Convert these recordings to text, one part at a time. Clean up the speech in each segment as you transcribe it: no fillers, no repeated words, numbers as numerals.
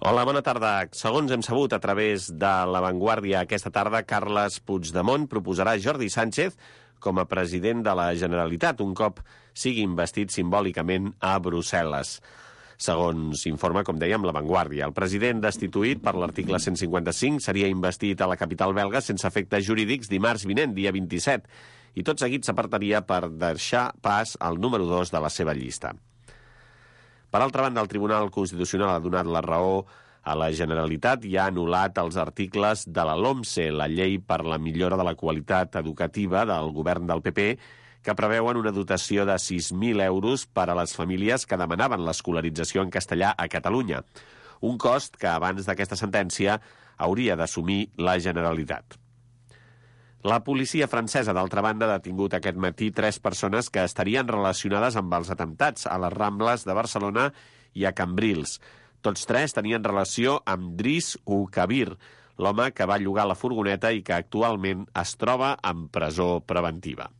Hola, bona tarda. Segons hem sabut a través de La Vanguardia aquesta tarda, Carles Puigdemont proposarà Jordi Sánchez com a president de la Generalitat, un cop sigui investit simbòlicament a Brussel·les. Segons informa, com dèiem, La Vanguardia, el president destituït per l'article 155 seria investit a la capital belga sense efectes jurídics dimarts vinent, dia 27, i tot seguit s'apartaria per deixar pas al número 2 de la seva llista. Per altra banda, el Tribunal Constitucional ha donat la raó a la Generalitat i ha anul·lat els articles de la LOMSE, la llei per la millora de la qualitat educativa del govern del PP, que preveuen una dotació de 6.000 euros per a les famílies que demanaven l'escolarització en castellà a Catalunya, un cost que abans d'aquesta sentència hauria d'assumir la Generalitat. La policia francesa, d'altra banda, ha detingut aquest matí 3 persones que estarien relacionades amb els atemptats a les Rambles de Barcelona i a Cambrils. Tots 3 tenien relació amb Driss Oukabir, l'home que va llogar la furgoneta i que actualment es troba en presó preventiva.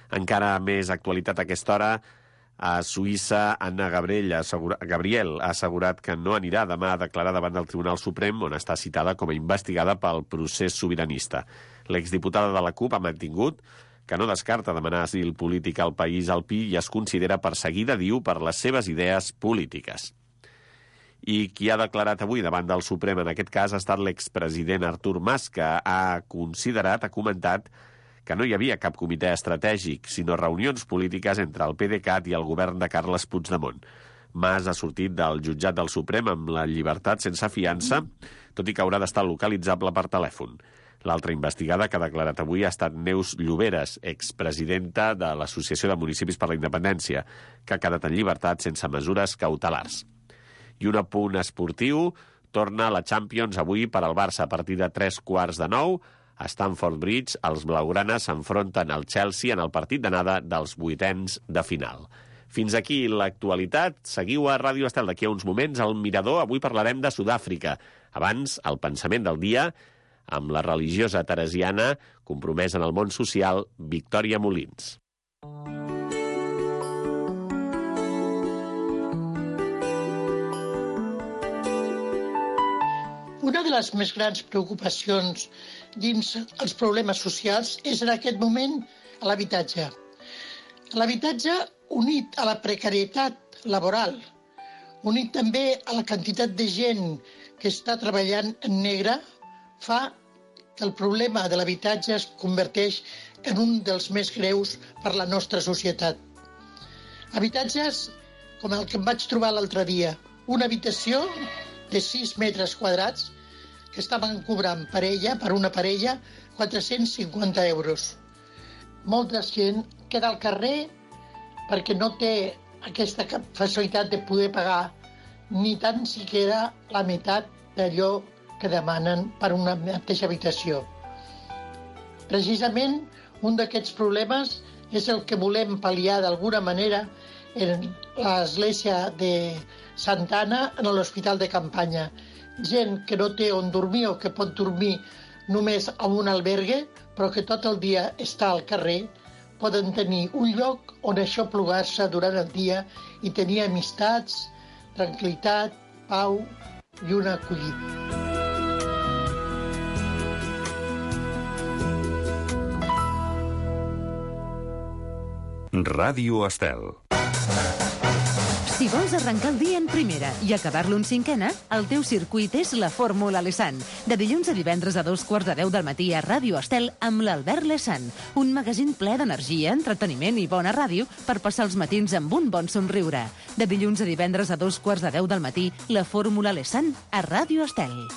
Encara més actualitat a aquesta hora, a Suïssa, Anna Gabriel ha assegurat que no anirà demà a declarar davant del Tribunal Suprem, on està citada com a investigada pel procés sobiranista. L'exdiputada de la CUP ha mantingut que no descarta demanar asil polític al país alpí i es considera perseguida, diu, per les seves idees polítiques. I qui ha declarat avui davant del Suprem en aquest cas ha estat l'expresident Artur Mas, que ha comentat que no hi havia cap comitè estratègic, sinó reunions polítiques entre el PDeCAT i el govern de Carles Puigdemont. Mas ha sortit del jutjat del Suprem amb la llibertat sense fiança, tot i que haurà d'estar localitzable per telèfon. L'altra investigada que ha declarat avui ha estat Neus Lloberes, expresidenta de l'Associació de Municipis per la Independència, que ha quedat en llibertat sense mesures cautelars. I un apunt esportiu, torna la Champions avui per al Barça a partir de 3:15. A Stamford Bridge, els blaugranes s'enfronten al Chelsea en el partit d'anada dels 8ens de final. Fins aquí l'actualitat. Seguiu a Ràdio Estel. D'aquí a uns moments, al Mirador. Avui parlarem de Sud-àfrica. Abans, el pensament del dia, amb la religiosa teresiana compromesa en el món social, Victòria Molins. Una de les més grans preocupacions dins els problemes socials és en aquest moment l'habitatge. L'habitatge, unit a la precarietat laboral, unit també a la quantitat de gent que està treballant en negre, fa que el problema de l'habitatge es converteix en un dels més greus per la nostra societat. Habitatges com el que em vaig trobar l'altre dia, una habitació de 6 metres quadrats que estaven cobrant per una parella 450 euros. Molta gent queda al carrer perquè no té aquesta facilitat de poder pagar ni tan siquiera la meitat d'allò que demanen per una mateixa habitació. Precisament, un d'aquests problemes és el que volem pal·liar d'alguna manera en l'església de Santa Anna, en l'hospital de campanya. Gent que no té on dormir o que pot dormir només en un albergue, però que tot el dia està al carrer, poden tenir un lloc on aixoplugar-se durant el dia i tenir amistats, tranquil·litat, pau i una acollida. Ràdio Estel. Si vols arrencar el dia en primera i acabar-lo en cinquena, el teu circuit és la Fórmula Lesan. De dilluns a divendres a 2:15 del matí a Ràdio Estel amb l'Albert Lesan. Un magazín ple d'energia, entreteniment i bona ràdio per passar els matins amb un bon somriure. De dilluns a divendres a 2:15 del matí, la Fórmula Lesan a Ràdio Estel.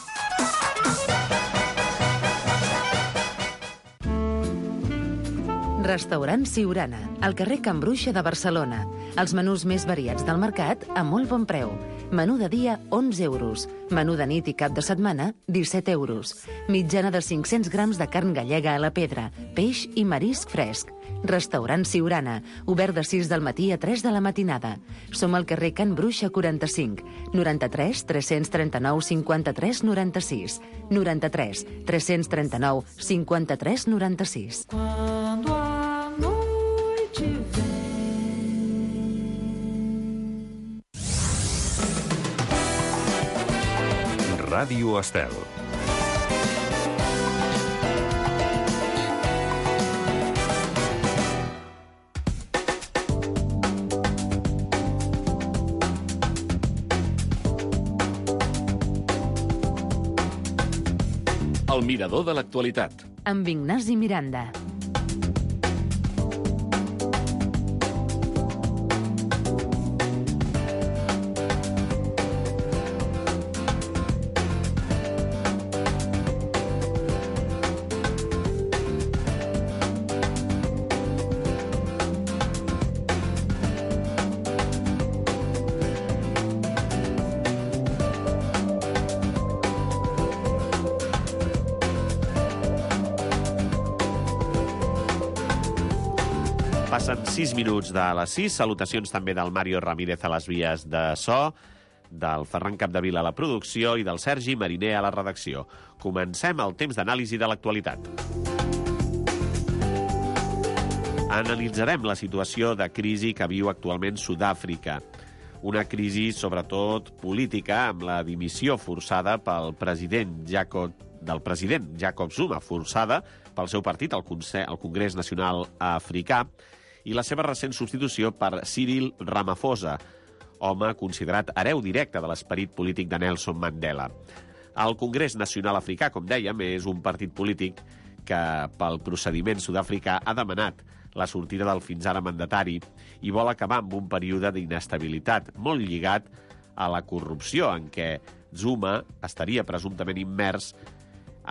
Restaurant Siurana, al carrer Can Bruixa de Barcelona. Els menús més variats del mercat a molt bon preu. Menú de dia, 11 euros. Menú de nit i cap de setmana, 17 euros. Mitjana de 500 grams de carn gallega a la pedra, peix i marisc fresc. Restaurant Siurana, obert de 6 del matí a 3 de la matinada. Som al carrer Can Bruixa 45, 93 339 53 96, 93 339 53 96. Quando a noite vem. Ràdio Estel. El mirador de l'actualitat. Amb Ignasi Miranda. Passen 6 minuts de les 6. Salutacions també del Mario Ramírez a les vies de so, del Ferran Capdevila a la producció i del Sergi Mariner a la redacció. Comencem el temps d'anàlisi de l'actualitat. Analitzarem la situació de crisi que viu actualment Sud-àfrica. Una crisi, sobretot, política, amb la dimissió forçada del president Jacob Zuma, forçada pel seu partit, el Congrés Nacional Africà, i la seva recent substitució per Cyril Ramaphosa, home considerat hereu directe de l'esperit polític de Nelson Mandela. El Congrés Nacional Africà, com dèiem, és un partit polític que, pel procediment sud-africà, ha demanat la sortida del fins ara mandatari i vol acabar amb un període d'inestabilitat molt lligat a la corrupció en què Zuma estaria presumptament immers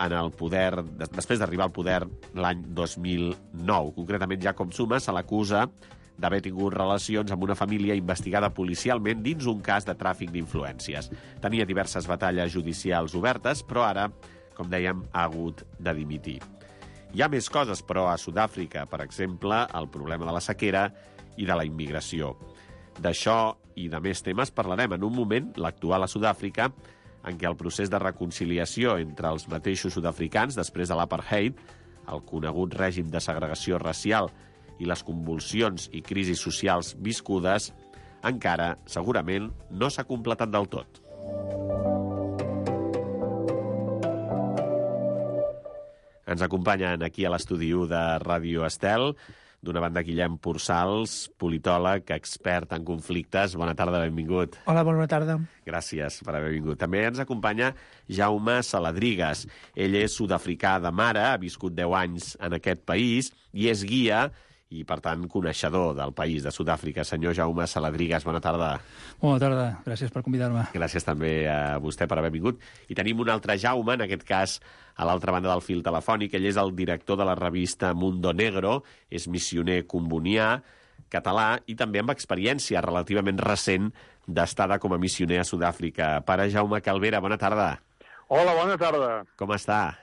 en el poder, després d'arribar al poder l'any 2009. Concretament, Jacob Zuma se l'acusa d'haver tingut relacions amb una família investigada policialment dins un cas de tràfic d'influències. Tenia diverses batalles judicials obertes, però ara, com dèiem, ha hagut de dimitir. Hi ha més coses, però, a Sud-àfrica, per exemple, el problema de la sequera i de la immigració. D'això i de més temes parlarem en un moment, l'actual a Sud-àfrica, en què el procés de reconciliació entre els mateixos sud-africans després de l'apartheid, el conegut règim de segregació racial i les convulsions i crisis socials viscudes, encara, segurament, no s'ha completat del tot. Ens acompanyen aquí a l'estudi de Ràdio Estel, d'una banda Guillem Pursals, politòleg, expert en conflictes. Bona tarda, benvingut. Hola, bona tarda. Gràcies per haver vingut. També ens acompanya Jaume Saladrigas. Ell és sud-africà de mare, ha viscut 10 anys en aquest país i és guia i, per tant, coneixedor del país de Sud-àfrica. Senyor Jaume Saladrigas, bona tarda. Bona tarda, gràcies per convidar-me. Gràcies també a vostè per haver vingut. I tenim un altre Jaume, en aquest cas a l'altra banda del fil telefònic. Ell és el director de la revista Mundo Negro, és missioner combonià, català i també amb experiència relativament recent d'estada com a missioner a Sud-àfrica. Pare Jaume Calvera, bona tarda. Hola, bona tarda. Com està?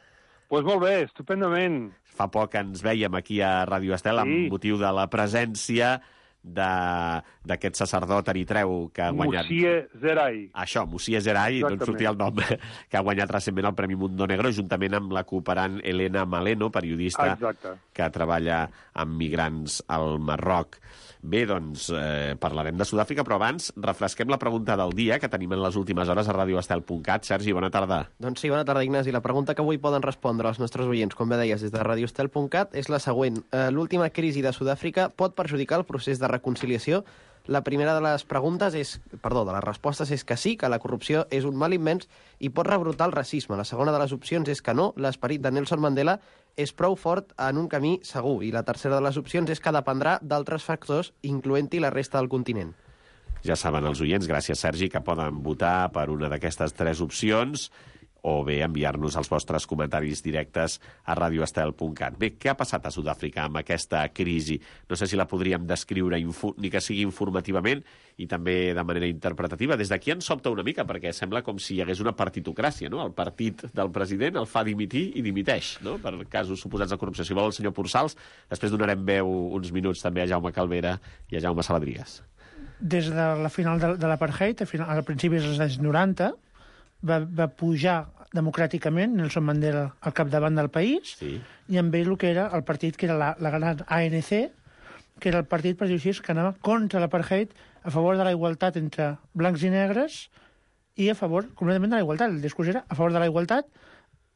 Pues molt bé, estupendament. Fa poc ens vèiem aquí a Ràdio Estel amb motiu de la presència d'aquest sacerdot eritreu que ha guanyat... Moussié Zerai. Això, Moussié Zerai, no en sortia el nom, que ha guanyat recentment el Premi Mundo Negro, juntament amb la cooperant Elena Maleno, periodista que treballa amb migrants al Marroc. Bé, doncs, parlarem de Sud-àfrica, però abans refresquem la pregunta del dia que tenim en les últimes hores a radioestel.cat. Sergi, bona tarda. Doncs sí, bona tarda, Ignasi. La pregunta que avui poden respondre els nostres oients, com bé deies, des de radioestel.cat, és la següent. L'última crisi de Sud-àfrica pot perjudicar el procés de reconciliació? La primera de les respostes és que sí, que la corrupció és un mal immens i pot rebrotar el racisme. La segona de les opcions és que no, l'esperit de Nelson Mandela és prou fort en un camí segur. I la tercera de les opcions és que dependrà d'altres factors, incloent-hi la resta del continent. Ja saben els oients, gràcies Sergi, que poden votar per una d'aquestes 3 opcions o bé enviar-nos els vostres comentaris directes a radioestel.cat. Bé, què ha passat a Sud-àfrica amb aquesta crisi? No sé si la podríem descriure ni que sigui informativament i també de manera interpretativa. Des d'aquí ens sobta una mica, perquè sembla com si hi hagués una partitocràcia, no? El partit del president el fa dimitir i dimiteix, no? Per casos suposats de corrupció. Si vol el senyor Pursals, després donarem veu uns minuts també a Jaume Calvera i a Jaume Saladrigas. Des de la final de l'apartheid, al principi dels anys 90, va pujar democràticament Nelson Mandela al capdavant del país, sí. I amb ell el que era el partit, que era la gran ANC, que era el partit, per dir-ho així, que anava contra l'apartheid, a favor de la igualtat entre blancs i negres i a favor completament de la igualtat. El discurs era a favor de la igualtat,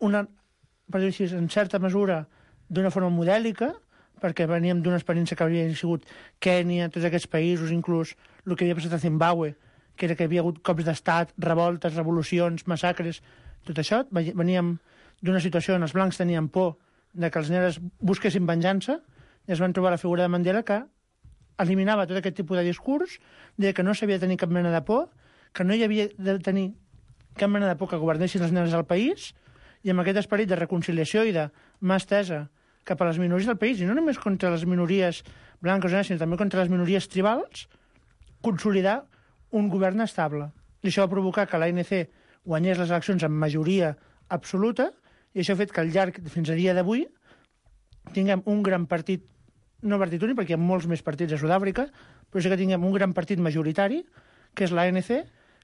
per dir-ho així, en certa mesura, d'una forma modèlica, perquè veníem d'una experiència que havia sigut Kènia, tots aquests països, inclús el que havia passat a Zimbabue, que era que hi havia hagut cops d'estat, revoltes, revolucions, massacres, tot això. Veníem d'una situació on els blancs tenien por de que els negres busquessin venjança i es van trobar la figura de Mandela que eliminava tot aquest tipus de discurs, de que no s'havia de tenir cap mena de por, que no hi havia de tenir cap mena de por que governessin els negres al país, i amb aquest esperit de reconciliació i de mà estesa cap a les minories del país, i no només contra les minories blanques o negres, sinó també contra les minories tribals, consolidar un govern estable. I això va provocar que l'ANC guanyés les eleccions amb majoria absoluta, i això ha fet que al llarg, fins a dia d'avui, tinguem un gran partit, no partit únic, perquè hi ha molts més partits a Sud-àfrica, però sí que tinguem un gran partit majoritari, que és l'ANC,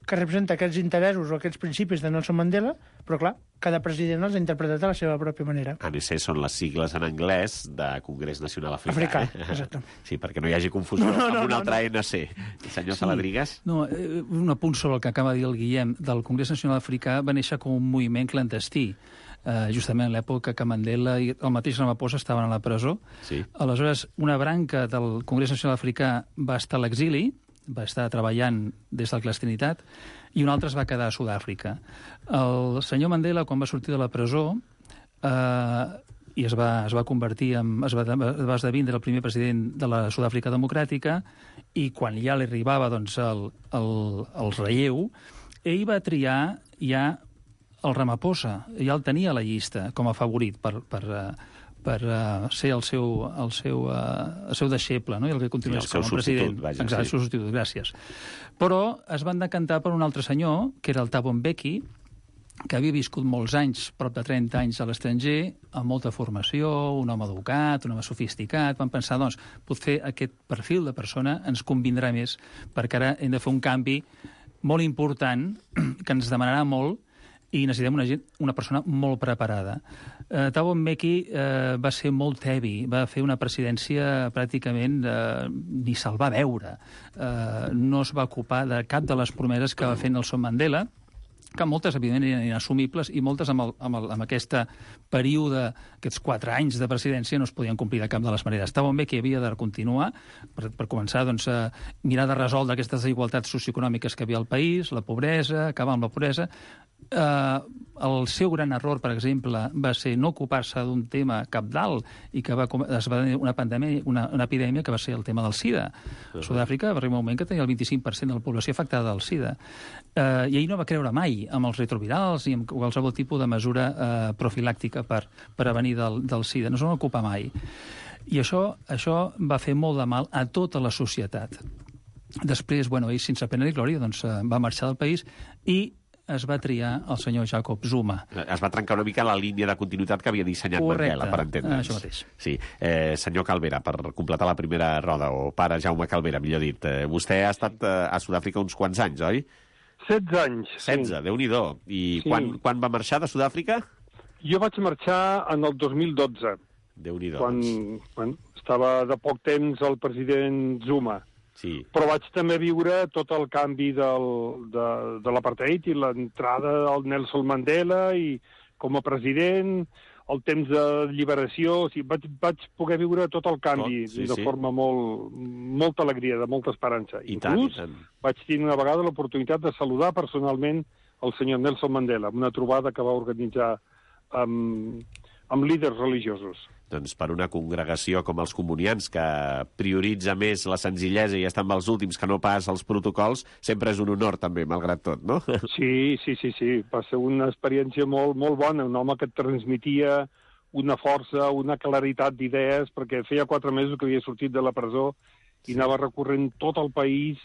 que representa aquests interessos o aquests principis de Nelson Mandela, però clar, cada president els ha interpretat a la seva pròpia manera. ANC són les sigles en anglès de Congrés Nacional Africà. Exacte. Sí, perquè no hi hagi confusió amb un altre ANC. Senyor Saladrigas? No, un apunt sobre el que acaba de dir el Guillem. Del Congrés Nacional Africà va néixer com un moviment clandestí, justament en l'època que Mandela i el mateix Ramaphosa estaven a la presó. Sí. Aleshores, una branca del Congrés Nacional Africà va estar a l'exili, va estar treballant des de la clandestinitat, i un altre es va quedar a Sud-àfrica. El senyor Mandela, quan va sortir de la presó, i es va convertir es va esdevindre el primer president de la Sud-àfrica democràtica, i quan ja li arribava doncs, el relleu, ell va triar ja el Ramaphosa, ja el tenia a la llista com a favorit per ser el seu deixeble, no? I el que continués com a president. Exacte, el seu substitut, gràcies. Però es van decantar per un altre senyor, que era el Thabo Mbeki, que havia viscut molts anys, prop de 30 anys a l'estranger, amb molta formació, un home educat, un home sofisticat. Van pensar, doncs, potser aquest perfil de persona ens convindrà més, perquè ara hem de fer un canvi molt important, que ens demanarà molt, i necessitem una persona molt preparada. Thabo Mbeki va ser molt tebi, va fer una presidència pràcticament ni se'l va veure. No es va ocupar de cap de les promeses que va fer Nelson Mandela, que moltes, evidentment, eren inassumibles, i moltes amb aquest període, aquests 4 anys de presidència, no es podien complir de cap de les maneres. Thabo Mbeki havia de continuar, per començar doncs, a mirar de resoldre aquestes desigualtats socioeconòmiques que havia al país, la pobresa, acabar amb la pobresa. El seu gran error, per exemple, va ser no ocupar-se d'un tema cabdal i que es va tenir una epidèmia que va ser el tema del SIDA. A Sud-àfrica va arribar un moment que tenia el 25% de la població afectada del SIDA. I ell no va creure mai amb els retrovirals ni amb qualsevol tipus de mesura profilàctica per prevenir del SIDA. No se'n va ocupar mai. I això va fer molt de mal a tota la societat. Després, ell, sense pena ni glòria, doncs, va marxar del país i es va triar el senyor Jacob Zuma. Es va trencar una mica la línia de continuïtat que havia dissenyat Mandela, per entendre'ns. Això mateix. Sí. Senyor Calvera, per completar la primera roda, o pare Jaume Calvera, millor dit, vostè ha estat a Sud-àfrica uns quants anys, oi? 16 anys. 16, sí. Déu-n'hi-do. I sí. Quan va marxar de Sud-àfrica? Jo vaig marxar en el 2012. Déu-n'hi-do. Quan estava de poc temps el president Zuma. Sí. Però vaig també viure tot el canvi de l'apartheid i l'entrada del Nelson Mandela i com a president, el temps de lliberació. O sigui, vaig poder viure tot el canvi de forma molta alegria, de molta esperança. Inclús vaig tenir una vegada l'oportunitat de saludar personalment el senyor Nelson Mandela, una trobada que va organitzar amb líders religiosos. Doncs per una congregació com els comunians, que prioritza més la senzillesa i està amb els últims que no pas els protocols, sempre és un honor també, malgrat tot, no? Sí. Va ser una experiència molt bona. Un home que et transmetia una força, una claritat d'idees, perquè feia 4 mesos que havia sortit de la presó i anava recorrent tot el país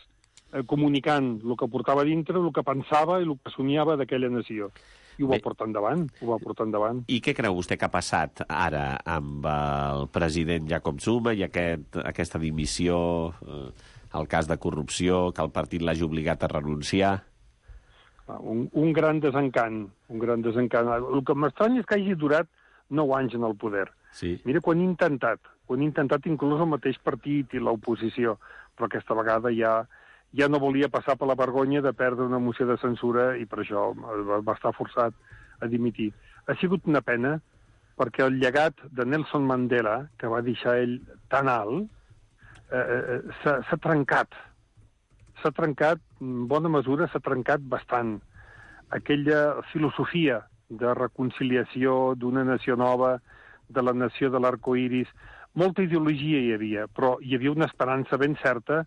comunicant el que portava dintre, el que pensava i el que somiava d'aquella nació. I ho va portar endavant, I què creu vostè que ha passat ara amb el president Jacob Zuma i aquesta dimissió, el cas de corrupció, que el partit l'hagi obligat a renunciar? Un gran desencant, El que m'estranya és que hagi durat 9 anys en el poder. Sí. Mira, quan he intentat inclús el mateix partit i l'oposició, però aquesta vegada ja ja no volia passar per la vergonya de perdre una moció de censura i per això va estar forçat a dimitir. Ha sigut una pena perquè el llegat de Nelson Mandela, que va deixar ell tan alt, s'ha trencat. S'ha trencat, en bona mesura, s'ha trencat bastant. Aquella filosofia de reconciliació d'una nació nova, de la nació de l'arcoiris, molta ideologia hi havia, però hi havia una esperança ben certa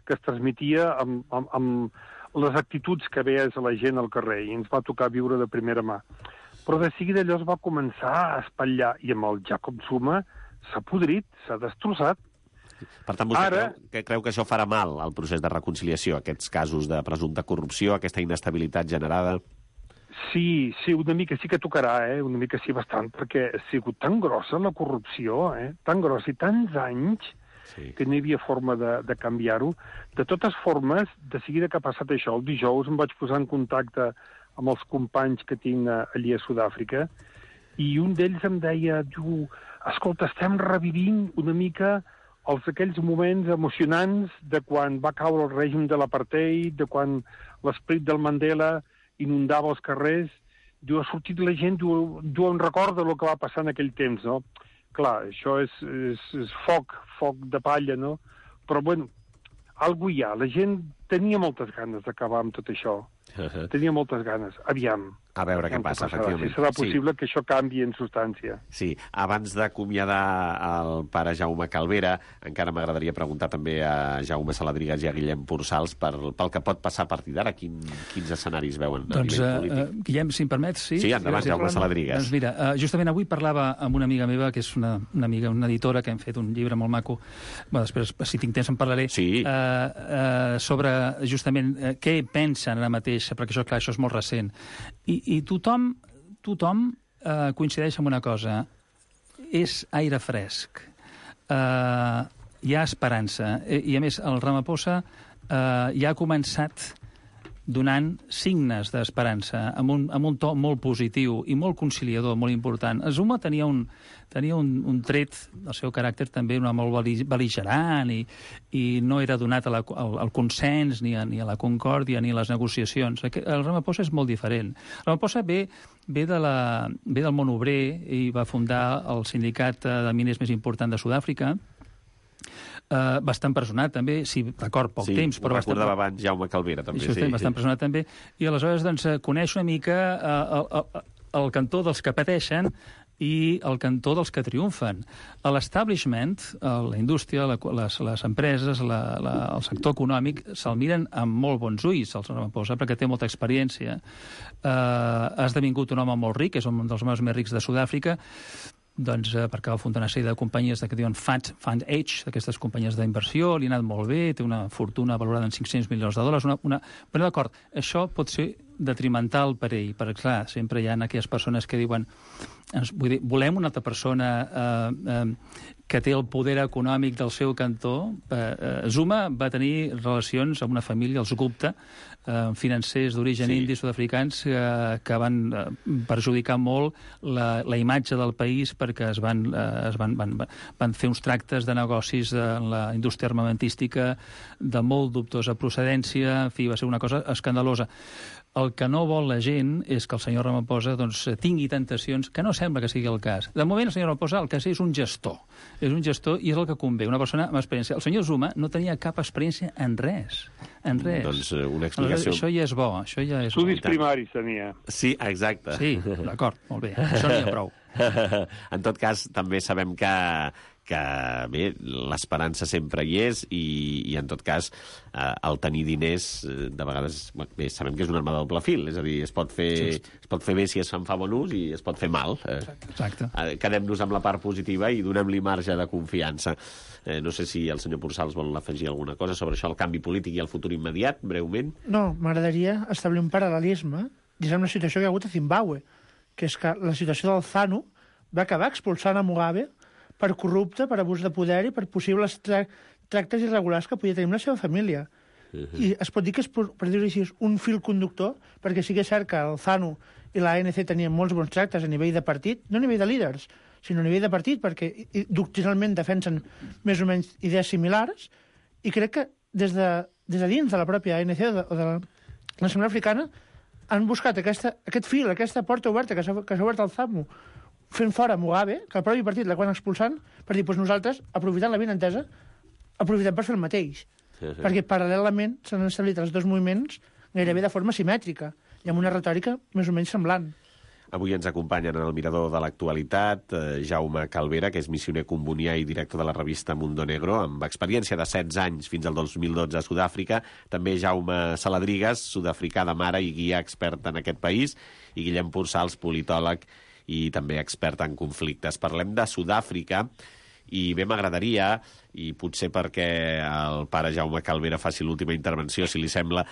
que es transmetia amb les actituds que veies a la gent al carrer, i ens va tocar viure de primera mà. Però de seguida allò es va començar a espatllar, i amb el Jacob Zuma s'ha podrit, s'ha destrossat. Per tant, vostè creu que això farà mal al procés de reconciliació, aquests casos de presumpta corrupció, aquesta inestabilitat generada? Sí, una mica sí que tocarà, una mica sí bastant, perquè ha sigut tan grossa la corrupció, tan grossa i tants anys, que no hi havia forma de canviar-ho. De totes formes, de seguida que ha passat això, el dijous em vaig posar en contacte amb els companys que tinc allí a Sud-àfrica, i un d'ells em deia, escolta, estem revivint una mica aquells moments emocionants de quan va caure el règim de l'apartheid, de quan l'esperit del Mandela inundava els carrers. Diu, ha sortit la gent, diu, em recorda el que va passar en aquell temps, no? Clar, això és foc de palla, no? Però, bueno, algú hi ha. La gent tenia moltes ganes d'acabar amb tot això. Tenia moltes ganes. Aviam. A veure què passa, efectivament. Si serà possible que això canvi en substància. Sí. Abans d'acomiadar el pare Jaume Calvera, encara m'agradaria preguntar també a Jaume Saladrigas i a Guillem Pursals pel que pot passar a partir d'ara. Quins escenaris veuen a nivell polític? Guillem, si em permets, sí? Sí, endavant, Jaume Saladrigas. Doncs mira, justament avui parlava amb una amiga meva, que és una amiga, una editora, que hem fet un llibre molt maco, després, si tinc temps, en parlaré, sobre justament què pensen ara mateix, perquè això, clar, això és molt recent. I tothom coincideix en una cosa. És aire fresc. Hi ha esperança. I, a més, el Ramaphosa ja ha començat donant signes d'esperança, amb un to molt positiu i molt conciliador, molt important. Zuma tenia un tret del seu caràcter també molt bel·ligerant i no era donat al consens, ni a la concòrdia, ni a les negociacions. El Ramaphosa és molt diferent. El Ramaphosa ve del món obrer i va fundar el sindicat de miners més important de Sud-àfrica. Va estar empresonat també, sí, d'acord, poc temps, però recordava abans Jaume Calvera també. Va estar empresonat també, i aleshores doncs, coneix una mica el cantó dels que pateixen i el cantó dels que triomfen. L'establishment, la indústria, les empreses, el sector econòmic se'l miren amb molt bons ulls, el Ramaphosa, perquè té molta experiència. Ha esdevingut un home molt ric, és un dels homes més rics de Sud-àfrica, doncs perquè va fundar una sèrie de companyies que diuen Fund H, d'aquestes companyies d'inversió, li ha anat molt bé, té una fortuna valorada en $500 milions. Però d'acord, això pot ser detrimental per ell, perquè clar, sempre hi ha aquelles persones que diuen volem una altra persona que té el poder econòmic del seu cantó. Zuma va tenir relacions amb una família, els Gupta, financers d'origen indi sud-africans que van perjudicar molt la imatge del país perquè van fer uns tractes de negocis en la indústria armamentística de molt dubtosa procedència. En fi, va ser una cosa escandalosa. El que no vol la gent és que el senyor Ramaphosa tingui tentacions, que no sembla que sigui el cas. De moment, el senyor Ramaphosa el que és un gestor. És un gestor i és el que convé, una persona amb experiència. El senyor Zuma no tenia cap experiència en res. En res. Doncs una explicació... Això ja és bo. Estudis primaris tenia. Sí, exacte. Sí, d'acord, molt bé. Això n'hi ha prou. En tot cas, també sabem que bé, l'esperança sempre hi és i en tot cas el tenir diners de vegades, bé, sabem que és una arma de doble fil, és a dir, es pot fer bé si es fa bon ús i es pot fer mal. Exacte. Quedem-nos amb la part positiva i donem-li marge de confiança. No sé si el senyor Pursals vol afegir alguna cosa sobre això, el canvi polític i el futur immediat, breument. No, m'agradaria establir un paral·lelisme dins amb la situació que hi ha hagut a Zimbàbue, que és que la situació del ZANU va acabar expulsant a Mugabe per corrupte, per abús de poder i per possibles tractes irregulars que podia tenir amb la seva família. I es pot dir que és, per dir-ho així, un fil conductor, perquè sí que és cert que el ZANU i l'ANC tenien molts bons tractes a nivell de partit, no a nivell de líders, sinó a nivell de partit, perquè doctrinalment defensen més o menys idees similars, i crec que des de des de dins de la pròpia ANC o de la Nacional Africana, han buscat aquest fil, aquesta porta oberta que s'ha obert al ZAMU, fent fora Mugabe, que el propi partit l'acaben expulsant, per dir, doncs nosaltres, aprofitant la benentesa, aprofitem per fer el mateix. Perquè paral·lelament s'han establit els dos moviments gairebé de forma simètrica i amb una retòrica més o menys semblant. Avui ens acompanyen en el mirador de l'actualitat Jaume Calvera, que és missioner combonià i director de la revista Mundo Negro, amb experiència de 16 anys fins al 2012 a Sud-àfrica. També Jaume Saladrigas, sud-africà de mare i guia expert en aquest país, i Guillem Pursals, politòleg i també expert en conflictes. Parlem de Sud-àfrica i bé m'agradaria, i potser perquè el pare Jaume Calvera faci l'última intervenció, si li sembla,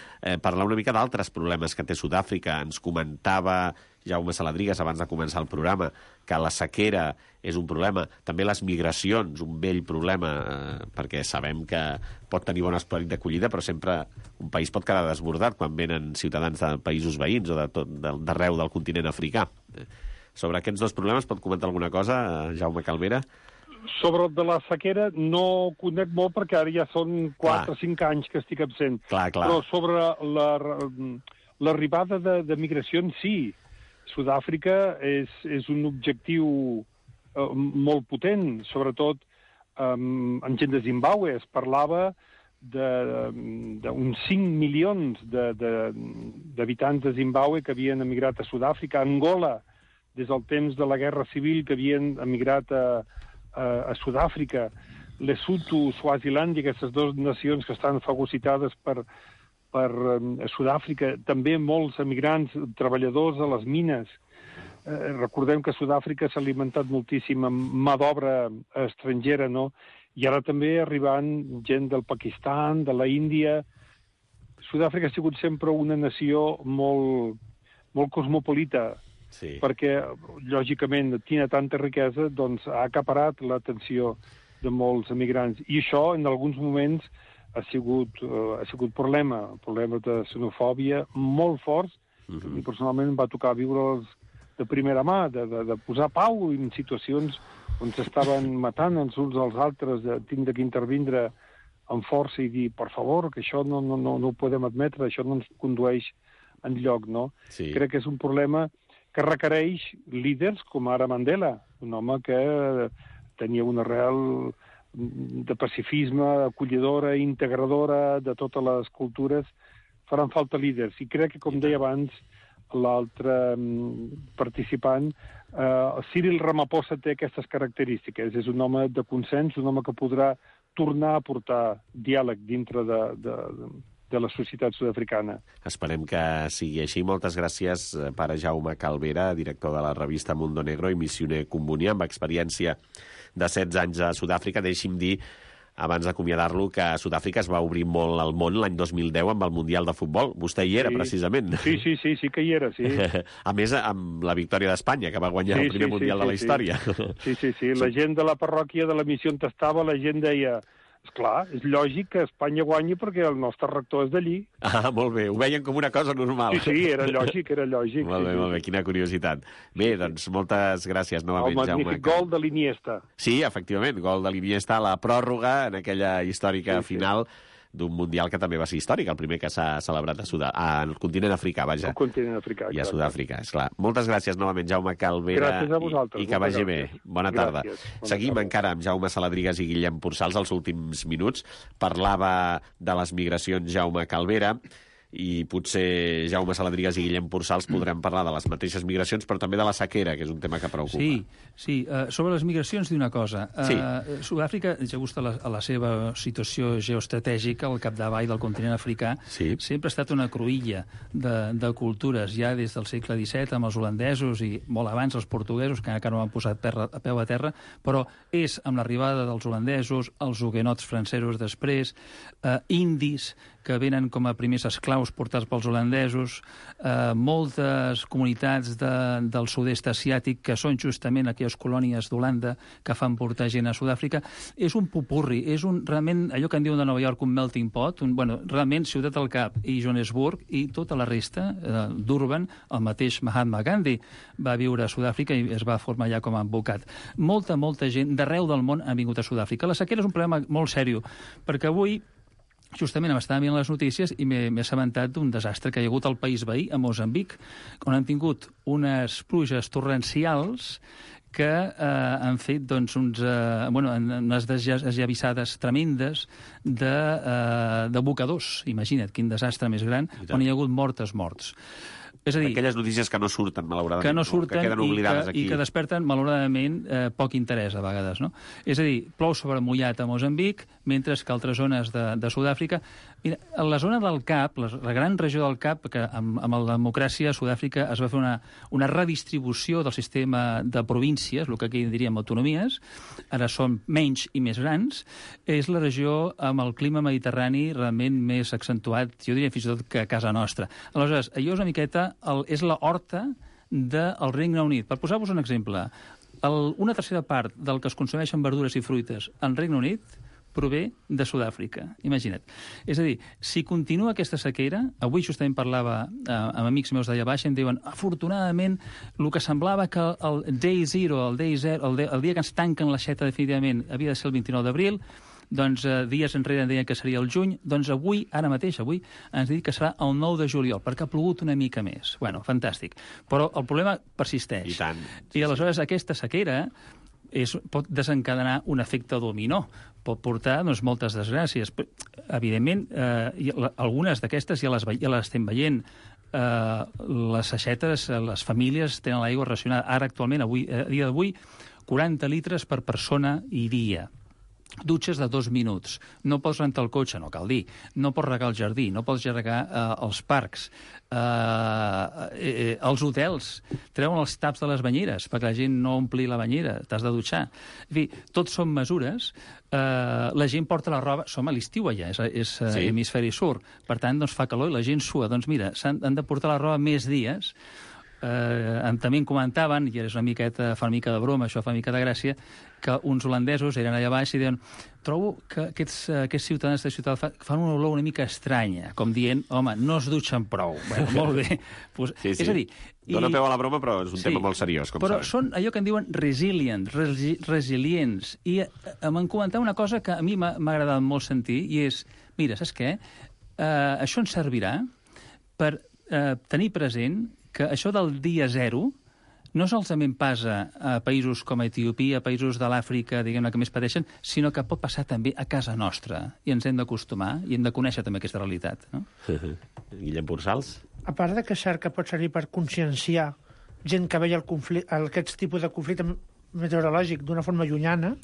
parlar una mica d'altres problemes que té Sud-àfrica. Ens comentava Jaume Saladrigas abans de començar el programa que la sequera és un problema, també les migracions, un vell problema, perquè sabem que pot tenir bon esperit d'acollida, però sempre un país pot quedar desbordat quan venen ciutadans de països veïns o d'arreu del continent africà. Sobre aquests dos problemes pot comentar alguna cosa, Jaume Calvera? Sobre el de la sequera no conec molt perquè ara ja són 4 o 5 anys que estic absent. Clar. Però sobre l'arribada de migracions, sí. Sud-àfrica és un objectiu molt potent, sobretot en gent de Zimbàbue. Es parlava d'uns 5 milions d'habitants de Zimbàbue que havien emigrat a Sud-àfrica. Angola, des del temps de la Guerra Civil, que havien emigrat a Sud-àfrica. Lesotho, Swazilàndia, aquestes dues nacions que estan fagocitades per Sud-àfrica, també molts emigrants, treballadors a les mines. Recordem que Sud-àfrica s'ha alimentat moltíssim amb mà d'obra estrangera, no? I ara també arribant gent del Pakistan, de la Índia. Sud-àfrica ha sigut sempre una nació molt cosmopolita, sí, perquè, lògicament, tiene tanta riquesa, doncs ha acaparat l'atenció de molts emigrants. I això, en alguns moments, ha sigut problema de xenofòbia molt forts. I personalment em va tocar viure de primera mà, de posar pau en situacions on s'estaven matant els uns als altres, de tindre que intervindre amb força i dir, per favor, que això no ho podem admetre, això no ens condueix enlloc, no? Sí. Crec que és un problema que requereix líders com ara Mandela, un home que tenia una arrel de pacifisme, acollidora, integradora de totes les cultures. Faran falta líders. I crec que, com deia abans l'altre participant, Cyril Ramaphosa té aquestes característiques. És un home de consens, un home que podrà tornar a portar diàleg dintre de la societat sud-africana. Esperem que sigui així. Moltes gràcies, pare Jaume Calvera, director de la revista Mundo Negro i missioner combonià amb experiència de 16 anys a Sud-àfrica. Deixi'm dir, abans d'acomiadar-lo, que Sud-àfrica es va obrir molt al món l'any 2010 amb el Mundial de Futbol. Vostè hi era, precisament. Sí que hi era, sí. A més, amb la victòria d'Espanya, que va guanyar el primer Mundial de la història. Sí. La gent de la parròquia de la missió on estava, la gent deia... Esclar, és lògic que Espanya guanyi perquè el nostre rector és d'allí. Ah, molt bé. Ho veien com una cosa normal. Sí, era lògic. Molt bé, quina curiositat. Bé, doncs moltes gràcies novament, Jaume. El magnífic gol de l'Iniesta. Sí, efectivament, gol de l'Iniesta a la pròrroga en aquella històrica final d'un Mundial que també va ser històric, el primer que s'ha celebrat al continent africà, vaja. Al continent africà, i a Sud-àfrica, esclar. Moltes gràcies novament, Jaume Calvera. Gràcies a vosaltres. I que vagi bé. Bona tarda. Seguim encara amb Jaume Saladrigas i Guillem Pursals els últims minuts. Parlava de les migracions Jaume Calvera, i potser Jaume Saladrigas i Guillem Pursals podrem parlar de les mateixes migracions, però també de la sequera, que és un tema que preocupa. Sí. Sobre les migracions, dir una cosa. Sí. Sud-àfrica, just a la seva situació geoestratègica, al capdavall del continent africà, sempre ha estat una cruïlla de cultures, ja des del segle XVII, amb els holandesos i molt abans els portuguesos, que encara no han posat a peu a terra, però és amb l'arribada dels holandesos, els huguenots francesos després, indis, que venen com a primers esclaus portats pels holandesos, moltes comunitats del sud-est asiàtic que són justament aquelles colònies d'Holanda que fan portar gent a Sud-àfrica. És un popurri, és realment allò que en diuen de Nova York un melting pot, realment Ciutat del Cap i Johannesburg i tota la resta d'Urban, el mateix Mahatma Gandhi va viure a Sud-àfrica i es va formar allà com a advocat. Molta gent d'arreu del món ha vingut a Sud-àfrica. La sequera és un problema molt sèrio, perquè avui justament m'estava mirant les notícies i m'he assabentat d'un desastre que hi ha hagut al país veí, a Moçambic, on han tingut unes pluges torrencials que han fet doncs, unes desllavissades tremendes d'abocadors. Imagina't, quin desastre més gran, on hi ha hagut morts. És a dir, aquelles notícies que no surten, malauradament, que no surten, que queden oblidades aquí. I que desperten, malauradament, poc interès a vegades. No? És a dir, plou sobre mullat a Moçambic, mentre que altres zones de Sud-àfrica... Mira, a la zona del Cap, la gran regió del Cap, que amb la democràcia a Sud-àfrica es va fer una redistribució del sistema de províncies, el que aquí diríem autonomies, ara són menys i més grans, és la regió amb el clima mediterrani realment més accentuat, jo diria fins i tot que a casa nostra. Aleshores, allò és una miqueta és la horta del Regne Unit. Per posar-vos un exemple, una tercera part del que es consumeixen verdures i fruites en Regne Unit prové de Sud-àfrica, imagina't. És a dir, si continua aquesta sequera, avui justament parlava amb amics meus d'allà baix i em diuen, afortunadament, el que semblava que el day zero, el dia que ens tanquen l'aixeta definitivament, havia de ser el 29 d'abril, doncs dies enrere deien que seria el juny, doncs avui ens dit que serà el 9 de juliol, perquè ha plogut una mica més. Bueno, fantàstic. Però el problema persisteix. I tant. I aleshores aquesta sequera pot desencadenar un efecte dominó, pot portar moltes desgràcies. Evidentment, algunes d'aquestes ja les estem veient. Les aixetes, les famílies tenen l'aigua racionada. Ara, actualment, a dia d'avui, 40 litres per persona i dia. Dutxes de 2 minuts. No pots rentar el cotxe, no cal dir. No pots regar el jardí, no pots regar els parcs. Els hotels treuen els taps de les banyeres perquè la gent no ompli la banyera, t'has de dutxar. En fi, tot són mesures. La gent porta la roba... Som a l'estiu allà, és hemisferi sur. Per tant, doncs fa calor i la gent sua. Doncs mira, han de portar la roba més dies. També em comentaven, i fa una mica de broma, això fa una mica de gràcia, que uns holandesos eren allà baix i diuen trobo que aquests ciutadans de ciutat fan una olor una mica estranya, com dient, home, no es dutxen prou. Bueno, molt bé. Pues, sí. És a dir... Dóna peu a la broma, però és un tema molt seriós, com però sabem. Són allò que en diuen resilients. I m'han comentat una cosa que a mi m'ha agradat molt sentir, i és, mira, saps què? Això ens servirà per tenir present que això del dia zero no solament passa a països com Etiòpia, a països de l'Àfrica, diguem-ne, que més pateixen, sinó que pot passar també a casa nostra. I ens hem d'acostumar i hem de conèixer també aquesta realitat. No? Guillem Pursals? A part de que és cert que pot servir per conscienciar gent que veia aquest tipus de conflicte meteorològic d'una forma llunyana,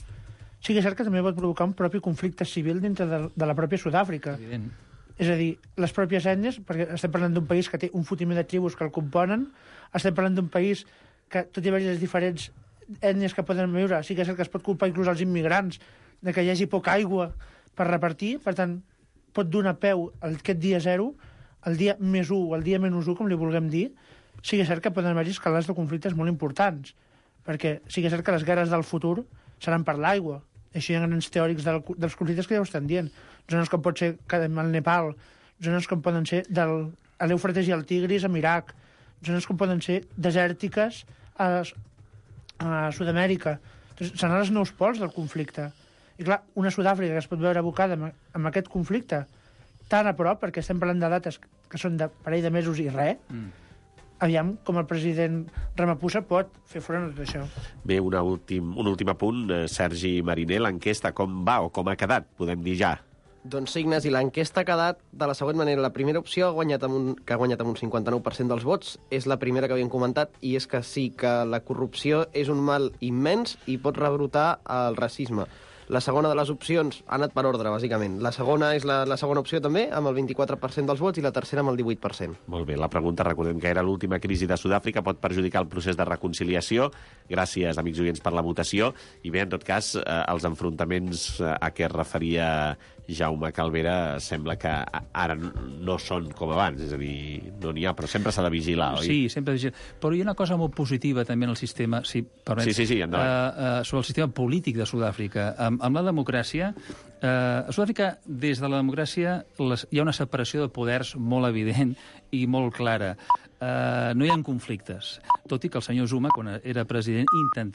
sí que és cert que també pot provocar un propi conflicte civil dintre de la pròpia Sud-àfrica. Evident. És a dir, les pròpies ètnies, perquè estem parlant d'un país que té un fotiment de tribus que el componen, estem parlant d'un país que, tot i haver les diferents ètnies que poden viure, sí que és cert que es pot culpar inclús als immigrants de que hi hagi poca aigua per repartir, per tant, pot donar peu a aquest dia zero, el dia més 1 o el dia menys 1, com li vulguem dir, sí que és cert que poden haver-hi escalades de conflictes molt importants, perquè sí que és cert que les guerres del futur seran per l'aigua. Això hi ha grans teòrics dels conflictes que ja ho estan dient. Zones com pot ser el Nepal, zones com poden ser de l'Eufrates i el Tigris amb Iraq, zones com poden ser desèrtiques a Sud-amèrica. Seran els nous pols del conflicte. I clar, una Sud-àfrica que es pot veure abocada amb aquest conflicte tan a prop, perquè estem parlant de dates que són de parell de mesos i res, aviam com el president Ramaphosa pot fer front a tot això. Bé, un últim apunt. Sergi Mariner, l'enquesta com va o com ha quedat, podem dir ja? Doncs sí, Ignasi, l'enquesta ha quedat de la següent manera. La primera opció que ha guanyat amb un 59% dels vots és la primera que havíem comentat, i és que sí que la corrupció és un mal immens i pot rebrotar el racisme. La segona de les opcions ha anat per ordre, bàsicament. La segona és la segona opció també, amb el 24% dels vots, i la tercera amb el 18%. Molt bé, la pregunta, recordem que era l'última crisi de Sud-àfrica, pot perjudicar el procés de reconciliació. Gràcies, amics oients, per la votació. I bé, en tot cas, els enfrontaments a què es referia Jaume Calvera sembla que ara no són com abans, és a dir, no n'hi ha, però sempre s'ha de vigilar, oi? Sí, sempre de vigilar. Però hi ha una cosa molt positiva també en el sistema, si permets, sí, endavant. sobre el sistema polític de Sud-àfrica. Amb la democràcia, a Sud-àfrica, des de la democràcia, hi ha una separació de poders molt evident i molt clara. No hi ha conflictes, tot i que el senyor Zuma, quan era president, intentava